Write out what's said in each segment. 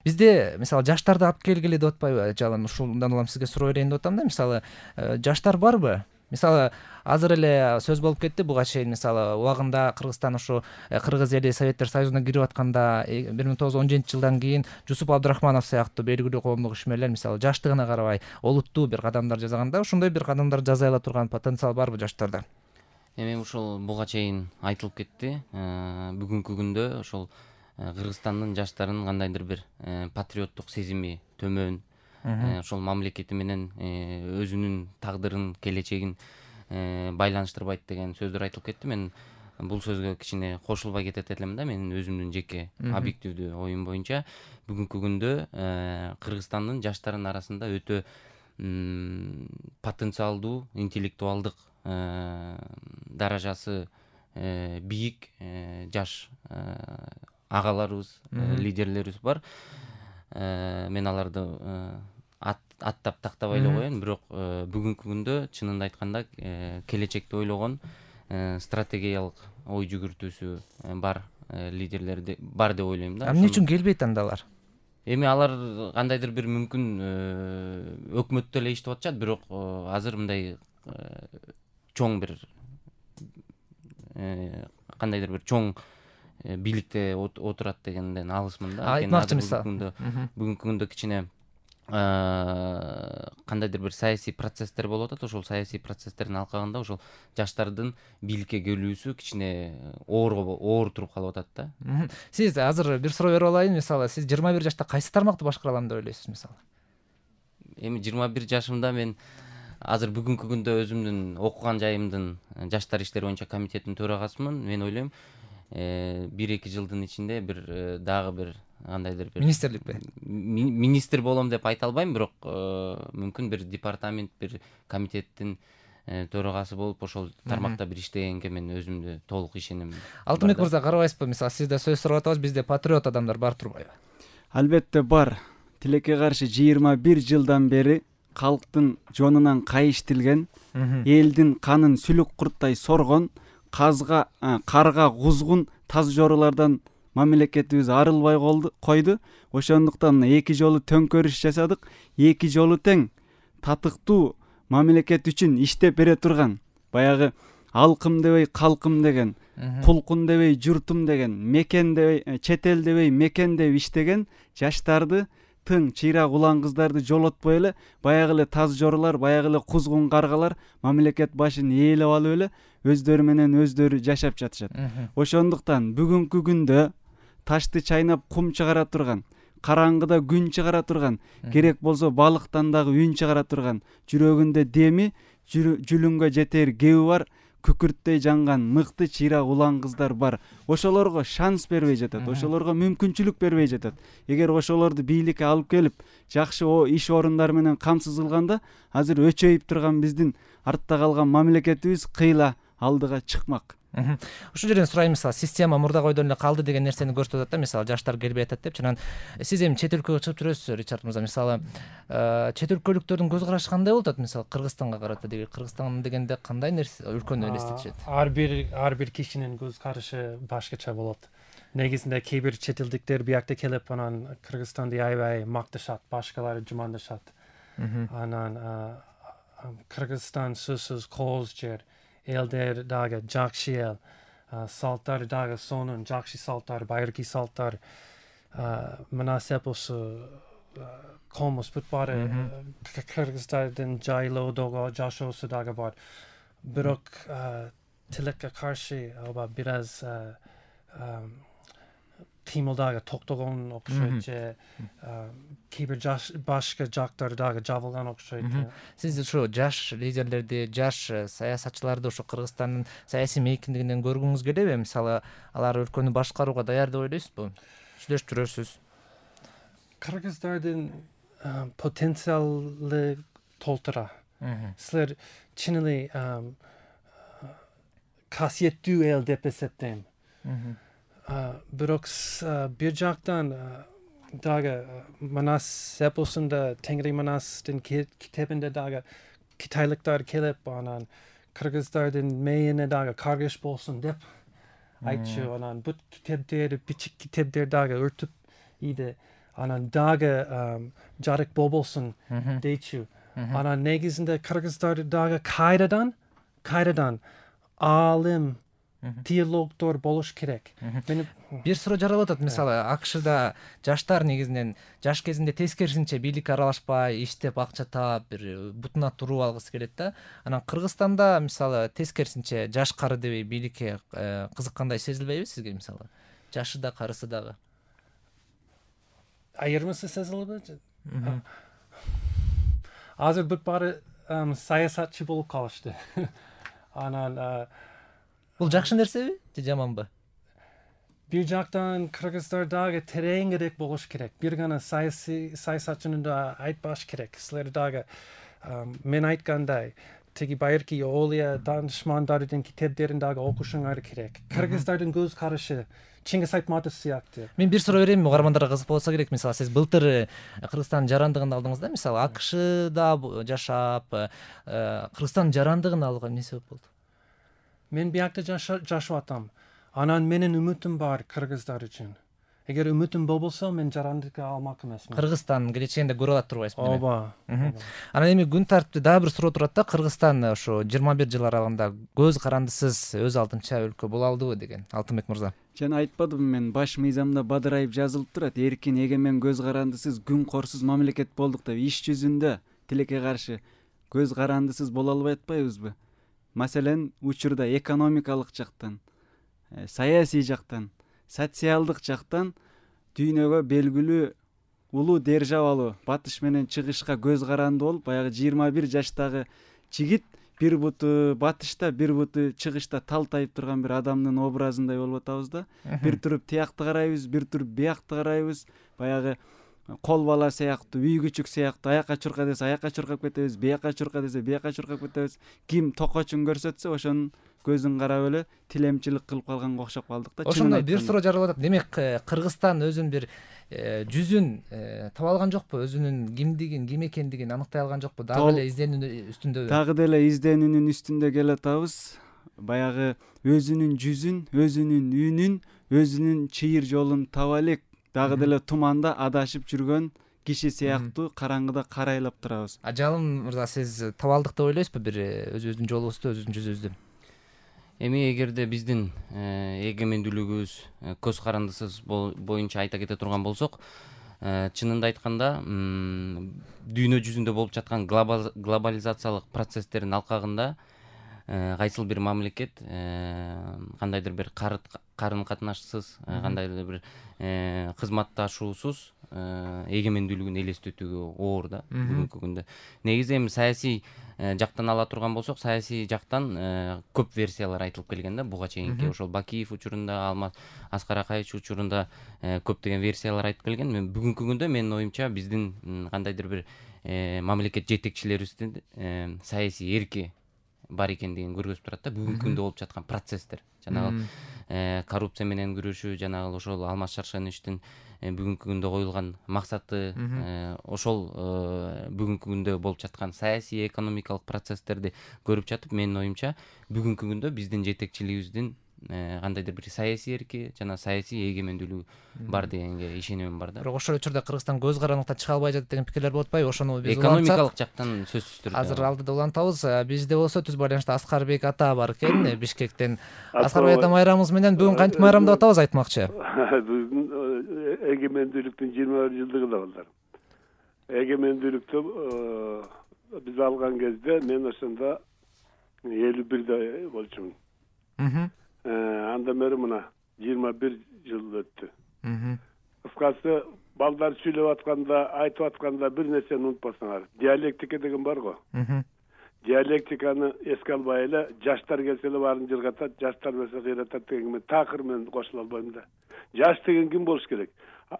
Бизде мисалы жаштарды алып келгиле деп атпайбы жалаң ушундан улам сизге суроо берейин деп атам да. Мисалы жаштар барбы? Мисалы азыр эле сөз болуп кетти буга чейин, мисалы убагында Кыргызстан ушу Кыргыз эли Советтер Союзуна кирип атканда 1917-жылдан кийин Жусуп Абдрахманов сыяктуу белгилүү коомдук ишмерлер мисалы жаштыгына карабай олуттуу бир кадамдар жасаганда, ошондой бир кадамдар жасай ала турган потенциал барбы жаштарда? Эми ушул буга чейин айтылып кетти. Бүгүнкү күндө ошол Кыргызстандын жаштарынын кандайдыр бир патриоттук сезими төмөн, ошол мамлекети менен өзүнүн тагдырын, келечегин байланыштырбайт деген сөздөр айтылып кетти. Мен бул сөзгө кичине кошулбай кетет элем да. Менин өзүмдүн жеке объективдүү оюм боюнча бүгүнкү күндө Кыргызстандын жаштарынын арасында өтө потенциалдуу, интеллектуалдык даражасы бийик жаш агаларыбыз, лидерлерибиз бар. Мен аларды аттап тактабай эле коеюн, бирок бүгүнкү күндө чынында айтканда келечекти ойлогон стратегиялык ой жүгүртүүсү бар лидерлер бар деп ойлойм да. Эмне үчүн келбейт анда алар? Эми алар кандайдыр бир мүмкүн өкмөттө эле иштеп атышат, бирок азыр мындай чоң бир кандайдыр бир чоң бийликте отурат дегенден алысмын да. Айтмакчы мисалы бүгүнкү күндө кичине кандайдыр бир саясий процесстер болуп атат. Ошол саясий процесстердин алкагында ошол жаштардын бийликке келүүсү кичине оор туруп калып атат да. Сиз азыр бир суроо берип алайын. Мисалы сиз 21 жашта кайсы тармакты башкара алам деп ойлойсуз мисалы? Эми 21 жашымда мен азыр бүгүнкү күндө өзүмдүн окуган жайымдын жаштар иштери боюнча комитеттин төрагасымын. Мен ойлойм 1-2 жылдын ичинде бир дагы бир кандайдыр бир министрликте министр болом деп айта албайм, бирок мүмкүн бир департамент, бир комитеттин төрагасы болуп ошол тармакта бир иштегенге мен өзүмдү толук ишенем. Алтынбек мырза, карабайсызбы? Мисалы сизде сөз сурап атабыз, бизде патриот адамдар бар турбайбы? Албетте бар. Тилекке каршы 21 жылдан бери калктын жонунан кайыштилген, элдин канын сүлүк курттай соргон, карга кузгун таз жорулардан мамлекетибиз арылбай койду. Ошондуктан мына 2 жолу төңкөрүш жасадык. 2 жолу тең татыктуу мамлекет үчүн иштеп бере турган, баягы алкым дебей калкым деген, кулкун дебей журтум деген, мекен дебей чет эл дебей мекен деп иштеген жаштарды, тың чыйрак улан кыздарды жолотпой эле баягы эле таз жорулар, баягы эле кузгун каргалар мамлекет башын ээлеп алып эле өздөрү менен өздөрү жашап жатышат. Ошондуктан бүгүнкү күндө ташты чайнап кум чыгара турган, караңгыда күн чыгара турган, керек болсо балыктан дагы үн чыгара турган, жүрөгүндө деми, жүлүнгө жетер кеби бар, күкүрттөй жанган мыкты чыйрак улан кыздар бар. Ошолорго шанс бербей жатат, ошолорго мүмкүнчүлүк бербей жатат. Эгер ошолорду бийликке алып келип, жакшы иш орундары менен камсыз кылганда, азыр өчөйүп турган биздин артта калган мамлекетибиз кыйла алдыга чыкмак. Ушул жерден сурайм, мисалы система мурда койдон эле калды деген нерсени көрсөтүп атат да, мисалы жаштар келбей атат деп. Чынан сиз эми чет өлкөгө чыгып жүрөсүз, Ричард мырза. Мисалы чет өлкөлүктөрдүн көз карашы кандай болуп атат, мисалы Кыргызстанга карата деген, Кыргызстан дегенде кандай нерсе өлкөнү элестетишет? Ар бир кишинин көз карашы башкача болот. Негизинде кээ бир чет элдиктер биякта келип анан Кыргызстанды аябай макташат, башкалары жумандашат. Анан Кыргызстан сөзсүз кооз жер, элдер дагы жакшы эл, салттар дагы сонун жакшы салттар, байыркы салттар. Мына сепосу комус бүт баары Кыргыздардын жайлоодогу жашоосу дагы бар. Бирок тилекке каршы бир аз кыймыл дагы токтогон окшойт же кээ бир башка жактар дагы жабылган окшойт. Сиз ушу жаш лидерлерди, жаш саясатчыларды ушу Кыргызстандын саясий мейкиндигинен көргүңүз келеби? Мисалы алар өлкөнү башкарууга даяр деп ойлойсузбу? Сүйлөшүп жүрөсүз. Кыргыздардын потенциалы толтура. Силер чын эле касиеттүү эл деп эсептейм. Бирок бир жактан дагы Манас эпосунда, Теңири Манастын китебинде дагы китайлыктар келип, анан кыргыздардын мээне дагы каргыш болсун деп айтчу. Анан бут китептер, бичик китептер дагы өртүп ийди. анан дагы жарык болбосун дейчү. Анан негизинде кыргыздар дагы кайрадан аалым теологдор болуш керек. Бир суроо жаралып атат, мисалы АКШда жаштар негизинен жаш кезинде тескерисинче бийликке аралашпай, иштеп акча таап, бир бутуна туруп алгысы келет да. Анан Кыргызстанда мисалы тескерисинче жаш кары дебей бийликке кызыккандай сезилбейби сизге мисалы? Жашы да карысы дагы. Айырмасы сезилеби? Азыр бүт баары саясатчы болуп калышты. Анан Бул жакшы нерсеби же жаманбы? Бир жактан кыргыздар дагы тереңирээк болуш керек. Бир гана саясатчыны да айтпаш керек. Силер дагы мен айткандай теги байыркы Олия данышмандардын китептерин дагы окушуңар керек. Кыргыздардын көз карашы Чингис Айтматов сыяктуу. Мен бир суроо берейинби, угармандарга кызык болсо керек. Мисалы сиз былтыр Кыргызстандын жарандыгын алдыңыз да, мисалы АКШда жашап, Кыргызстандын жарандыгын алууга эмне себеп болду? Мен биякта жашап атам. Анан менин үмүтүм бар кыргыздар үчүн. Эгер үмүтүм болбосо мен жарандыкка алмак эмесмин. Кыргызстан келечегинде көрүп алат турбайсызбы? Ооба. Анан эми күн тартипте дагы бир суроо турат да, Кыргызстан ошо 21 жыл аралыгында көз карандысыз өз алдынча өлкө боло алдыбы деген. Алтынбек мырза. Жана айтпадымбы мен баш мыйзамда бадырайып жазылып турат, эркин, эгемен, көз карандысыз, күн корсуз мамлекет болдук деп. Иш жүзүндө тилекке каршы көз карандысыз боло албай атпайбызбы? Маселен, учурда экономикалык жактан, саясий жактан, социалдык жактан дүйнөгө белгилүү улуу державалуу батыш менен чыгышка көз каранды болуп, баягы 21 жаштагы жигит бир буту батышта, бир буту чыгышта талтайып турган бир адамдын образындай болуп атабыз да. Бир туруп тиякты карайбыз, бир туруп биякты карайбыз. Баягы кол бала сыяктуу, үй күчүк сыяктуу, аяка чурка десе аякка чуркап кетебиз, бияка чурка десе бияка чуркап кетебиз. Ким токочун көрсөтсө ошонун көзүн карап эле тилемчилик кылып калганга окшоп калдык да. Ошондой бир суроо жаралып атат. Демек Кыргызстан өзүнүн бир жүзүн таба алган жокпу? Өзүнүн кимдигин, ким экендигин аныктай алган жокпу? Дагы эле изденүү үстүндөбү? Дагы деле изденүүнүн үстүндө келатабыз. Баягы өзүнүн жүзүн, өзүнүн үнүн, өзүнүн чыйыр жолун таба элек. Дагы деле туманда адашып жүргөн киши сыяктуу караңгыда карайлап турабыз. Жалым мырза, сиз таба алдык деп ойлойсузбу бир өзүбүздүн жолубузду, өзүбүздүн жүзүбүздү? Эми эгерде биздин эгемендүүлүгүбүз көз карандысыз боюнча айта кете турган болсок, чынында айтканда дүйнө жүзүндө болуп жаткан глобализациялык процесстердин алкагында кайсыл бир мамлекет кандайдыр бир карым катнашсыз, кандайдыр бир кызматташуусуз эгемендүүлүгүн элестетүүгө оор да бүгүнкү күндө. Негизи эми саясий жактан ала турган болсок, саясий жактан көп версиялар айтылып келген да буга чейинки. Ошол Бакиев учурунда, Аскар Акаевич учурунда көптөгөн версиялар айтып келген. Мен бүгүнкү күндө менин оюмча биздин кандайдыр бир мамлекет жетекчилерибиздин саясий эрки бар экендигин көргөзүп турат да бүгүнкү күндө болуп жаткан процесстер. Жанагы коррупция менен күрөшүү, жанагы ошол Алмаз Шаршеновичтин бүгүнкү күндө коюлган максаты, ошол бүгүнкү күндө болуп жаткан саясий, экономикалык процесстерди көрүп жатып, менин оюмча бүгүнкү күндө биздин жетекчилигибиздин кандайдыр бир саясий эрки жана саясий эгемендүүлүгү бар дегенге ишенемин бар да. Бирок ошол учурда Кыргызстан көз карандыкта чыга албай жатат деген пикирлер болуп атпайбы? Ошону биз экономикалык жактан сөзсүз түрдө азыр алдыда улантабыз. Бизде болсо түз байланышта Аскарбек ата бар экен, Бишкектен. Аскарбек ата майрамыбыз менен бүгүн кантип майрамдап атабыз айтмакчы? Бүгүн эгемендүүлүктүн 21 жылдыгы да болду. Эгемендүүлүктү биз алган кезде мен ошондо 51де болчумун. Андан бери мына 21 жыл өттү. Кыскасы балдар сүйлөп атканда, айтып атканда бир нерсени унутпасаңар. Диалектика деген бар го. Диалектиканы эске албай эле жаштар келсе эле баарын жыргатат, жаштар болсо кыйратат деген мен такыр мен кошула албайм да. Жаш деген ким болуш керек?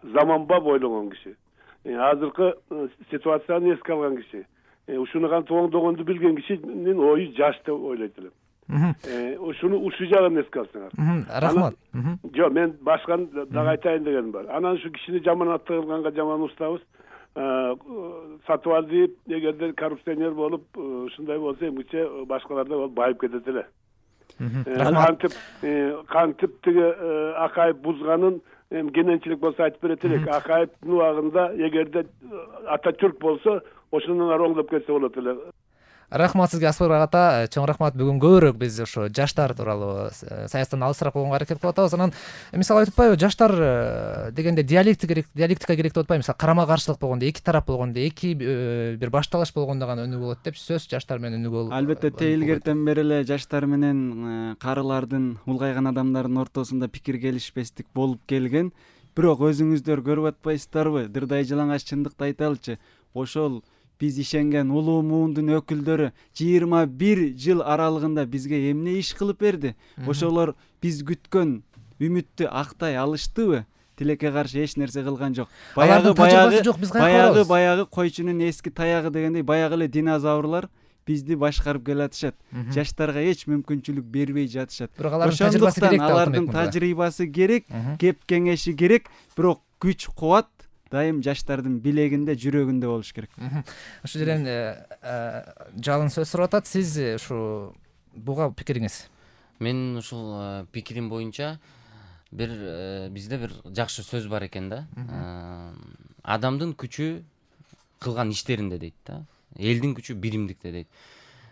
Заманбап ойлогон киши. Азыркы ситуацияны эске алган киши. Ушуну кантип оңдогонду билген кишинин ою жаш деп ойлойт элем. Ушуну ушул жагын эске алсаңар. Рахмат. Жок, мен башканы дагы айтайын дегеним бар. Анан ушу кишини жаман аттыгылганга жаман устабыз. Сатып эгерде коррупционер болуп, ушундай болсо эмгиче башкаларда болуп байып кетет эле. Кантип тиги Акаев бузганын эми кененчилик болсо айтып берет элек. Акаевдин убагында эгерде Ататүрк болсо ошондон ары оңдоп кетсе болот эле. Рахмат сизге, Аспарбек ата. Чоң рахмат. Бүгүн көбүрөөк биз ошо жаштар тууралуу саясаттан алысыраак болгонго аракет кылып атабыз. Анан мисалы айтып атпайбы, жаштар дегенде диалектика керек деп атпайбы? Мисалы карама каршылык болгондо, эки тарап болгондо, эки бир башталыш болгондо гана өнүгүү болот деп сөз жаштар менен өнүгүү болот. Албетте тейилгертен бери эле жаштар менен карылардын, улгайган адамдардын ортосунда пикир келишпестик болуп келген. Бирок өзүңүздөр көрүп атпайсыздарбы? Дырдай жалаңаш чындыкты айталычы. Ошол биз ишенген улуу муундун өкүлдөрү 21 жыл аралыгында бизге эмне иш кылып берди? Ошолор биз күткөн үмүттү актай алыштыбы? Тилекке каршы эч нерсе кылган жок. Баягы койчунун эски таягы дегендей, баягы эле динозаврлар бизди башкарып келатышат. Жаштарга эч мүмкүнчүлүк бербей жатышат. Бирок алардын тажрыйбасы керек. Алардын тажрыйбасы керек, кеп кеңеши керек, бирок күч кубат дайым жаштардын билегинде, жүрөгүндө болуш керек. Ошол жерден жалын сөз сурап атат. Сиз ушу буга пикириңиз? Мен ушул пикирим боюнча бизде бир жакшы сөз бар экен да. Адамдын күчү кылган иштеринде дейт да. Элдин күчү биримдикте дейт.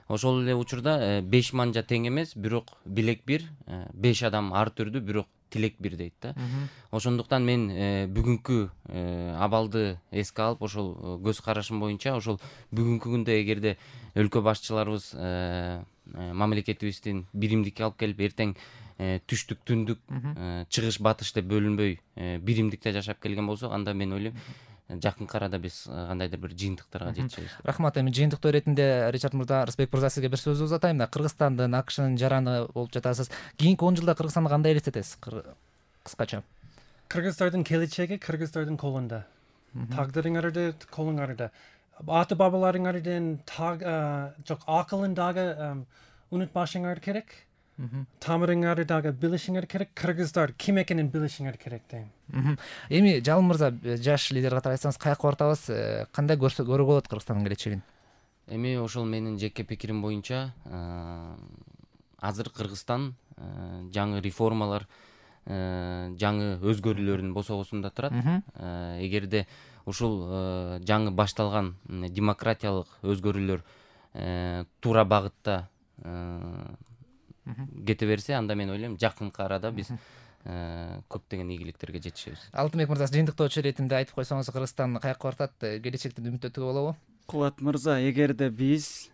Ошол эле учурда 5 манжа тең эмес, бирок билек бир, 5 адам ар түрдүү, бирок тилек бир дейт да. Ошондуктан мен бүгүнкү абалды эске алып, ошол көз карашым боюнча, ошол бүгүнкү күндө эгерде өлкө башчыларыбыз мамлекетибиздин биримдикке алып келип, эртең түштүк, түндүк, чыгыш, батыш деп бөлүнбөй биримдикте жашап келген болсо, анда мен ойлойм жакынкы арада биз кандайдыр бир жыйынтыктарга жетишебиз. Рахмат. Эми жыйынтыктоо иретинде Ричард мырза, Рысбек мырза, сизге бир сөз узатайын. Кыргызстандын, АКШнын жараны болуп жатасыз. Кийинки 10 жылда Кыргызстанды кандай элестетесиз? Кыскача. Кыргыздардын келечеги Кыргыздардын колунда. Тагдырыңарды колуңарда. Ата бабаларыңардын жок акылын дагы унутпашыңар керек. Тамырыңарды дагы билишиңер керек. Кыргыздар ким экенин билишиңер керек дейм. Эми Жалын мырза, жаш лидер катары айтсаңыз, каяка бартабыз, кандай көрүүгө болот Кыргызстандын келечегин? Эми ошол менин жеке пикирим боюнча, азыр Кыргызстан жаңы реформалар, жаңы өзгөрүүлөрдүн босогосунда турат. Эгерде ушул жаңы башталган демократиялык өзгөрүүлөр туура багытта кете берсе, анда мен ойлойм жакынкы арада биз көптөгөн ийгиликтерге жетишебиз. Алтынбек мырза, жыйынтыктоочу иретинде айтып койсоңуз, Кыргызстан каяка бартат, келечектен үмүттөнүүгө болобу? Кубат мырза, эгерде биз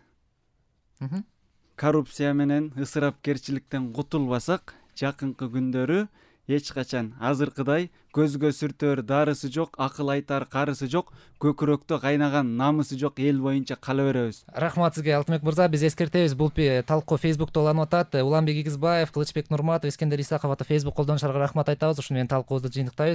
коррупция менен, ысырапкерчиликтен кутулбасак, жакынкы күндөрү эч качан азыркыдай көзгө сүртөр дарысы жок, акыл айтар карысы жок, көкүрөктө кайнаган намысы жок эл боюнча кала беребиз. Рахмат сизге, Алтынбек мырза. Биз эскертебиз, бул талкуу Facebook'та уланып атат. Уланбек Игизбаев, Кылычбек Нурматов, Искендер Исаков ата Facebook колдонушчуларга рахмат айтабыз. Ушуну менен талкуубузду жыйынтыктайбыз.